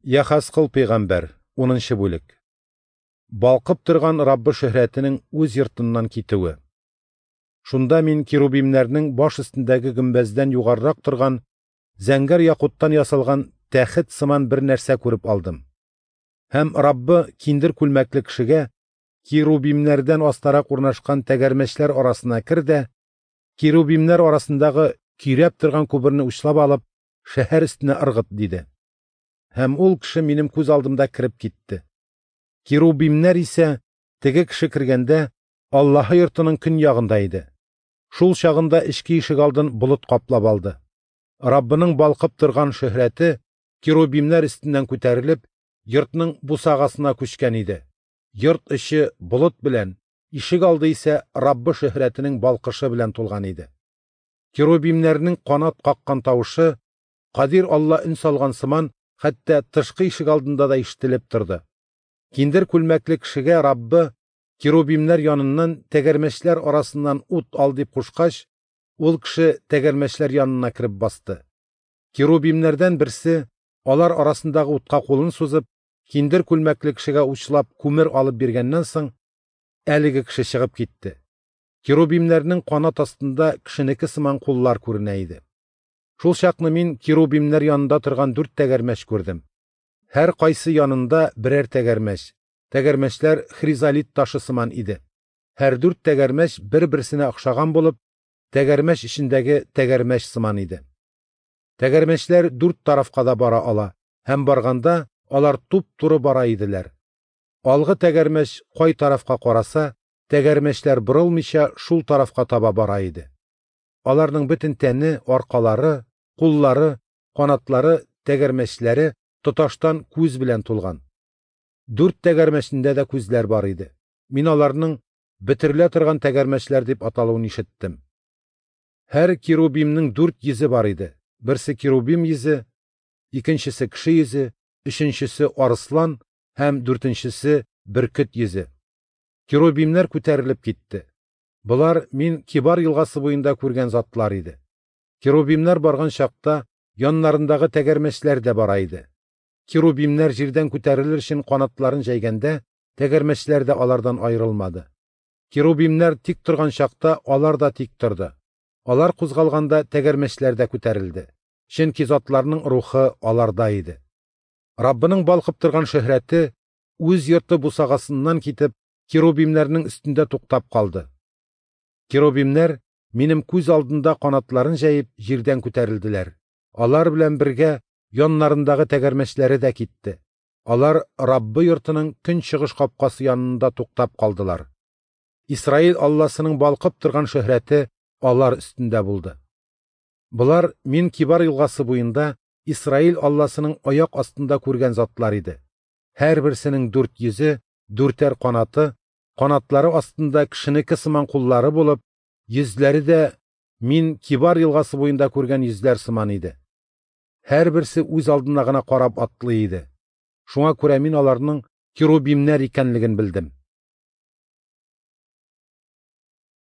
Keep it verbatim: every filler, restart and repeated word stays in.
Яхәзкыл пәйгамбәр, унынчы бүлек. Балкып торган Раббы шөһрәтенең үз йортыннан китүе. Шунда мин керубимнәрнең баш өстендәге гөмбәздән югарырак торган зәңгәр якуттан ясалган тәхет сыман бер нәрсә күреп алдым. Һәм Раббы киндер күлмәкле кешегә керубимнәрдән астарак урнашкан тәгәрмәчләр арасына кер дә, керубимнәр арасындагы көйрәп торган күперне учлап алып, шәһәр өстенә ыргыт, диде. Һәм ул кеше минем күз алдымда кереп китте. Керубимнәр исә теге кеше кергәндә Аллаһы йортының көньягында иде. Шул чагында эчке ишек алдын болыт каплап алды. Раббының балкып торган шөһрәте керубимнәр өстеннән күтәрелеп, йортның бусагасына күчкән иде. Йорт эче болыт белән, ишек алды исә Раббы шөһрәтенең балкышы белән тулган иде. Керубимнәрнең канат каккан тавышы, Кадир Алла өн салган сыман, хәтта тышкы ишек алдында да ишетелеп торды. Киндер күлмәкле кешегә Раббы керубимнәр яныннан тәгәрмәчләр арасыннан ут ал дип кушкач, ул кеше тәгәрмәчләр янына кереп басты. Керубимнәрдән берсе алар арасындагы утка кулын сузып, киндер күлмәкле кешегә учлап күмер алып биргәннән соң, әлеге кеше чыгып китте. Керубимнәрнең канат астында кешенеке сыман куллар күренә иде. Шул чакны мин керубимнәр янында торган дүрт тәгәрмәч күрдем. Һәр кайсы янында берәр тәгәрмәч. Тәгәрмәчләр хризолит ташы сыман иде. Һәр дүрт тәгәрмәч бер-берсенә охшаган булып, тәгәрмәч эчендәге тәгәрмәч сыман иде. Тәгәрмәчләр дүрт тарафка да бара ала, һәм барганда алар туп-туры бара иделәр. Алгы тәгәрмәч кай тарафка караса, тәгәрмәчләр борылмыйча шул тарафка таба бара иде. Аларның бөтен тәне, аркалары, куллары, канатлары, тәгәрмәчләре тоташтан күз белән тулган. Дүрт тәгәрмәчендә дә күзләр бар иде. Мин аларның бөтерелә торган тәгәрмәчләр дип аталуын ишеттем. Һәр керубимнең дүрт йөзе бар иде. Берсе керубим йөзе, икенчесе кеше йөзе, өченчесе арыслан һәм дүртенчесе бөркет йөзе. Керубимнәр күтәрелеп китте. Болар мин Кибар елгасы буенда күргән затлар иде. Керубимнәр барган чакта яннарындагы тәгәрмәчләр дә бара иде. Керубимнәр җирдән күтәрелер өчен канатларын җәйгәндә, тәгәрмәчләр дә алардан аерылмады. Керубимнәр тик торган чакта алар да тик торды. Алар кузгалганда тәгәрмәчләр дә күтәрелде. Чөнки затларның рухы аларда иде. Раббының балкып торган шөһрәте үз йорты бусагасыннан китеп, керубимнәрнең өстендә туктап калды. Керубимнәр минем күз алдында канатларын җәеп җирдән күтәрелделәр. Алар белән бергә яннарындагы тәгәрмәчләре дә китте. Алар Раббы йортының көнчыгыш капкасы янында туктап калдылар. Исраил Алласының балкып торган шөһрәте алар өстендә булды. Болар мин Кибар елгасы буенда Исраил Алласының аяк астында күргән затлар иде. Һәрберсенең дүрт йөзе, дүртәр канаты, канатлары астында кешенеке сыман куллары булып, йөзләре дә мин Кибар елгасы буенда күргән йөзләр сыман иде. Һәрберсе үз алдына гына карап атлый иде. Шуңа күрә мин аларның керубимнәр икәнлеген белдем.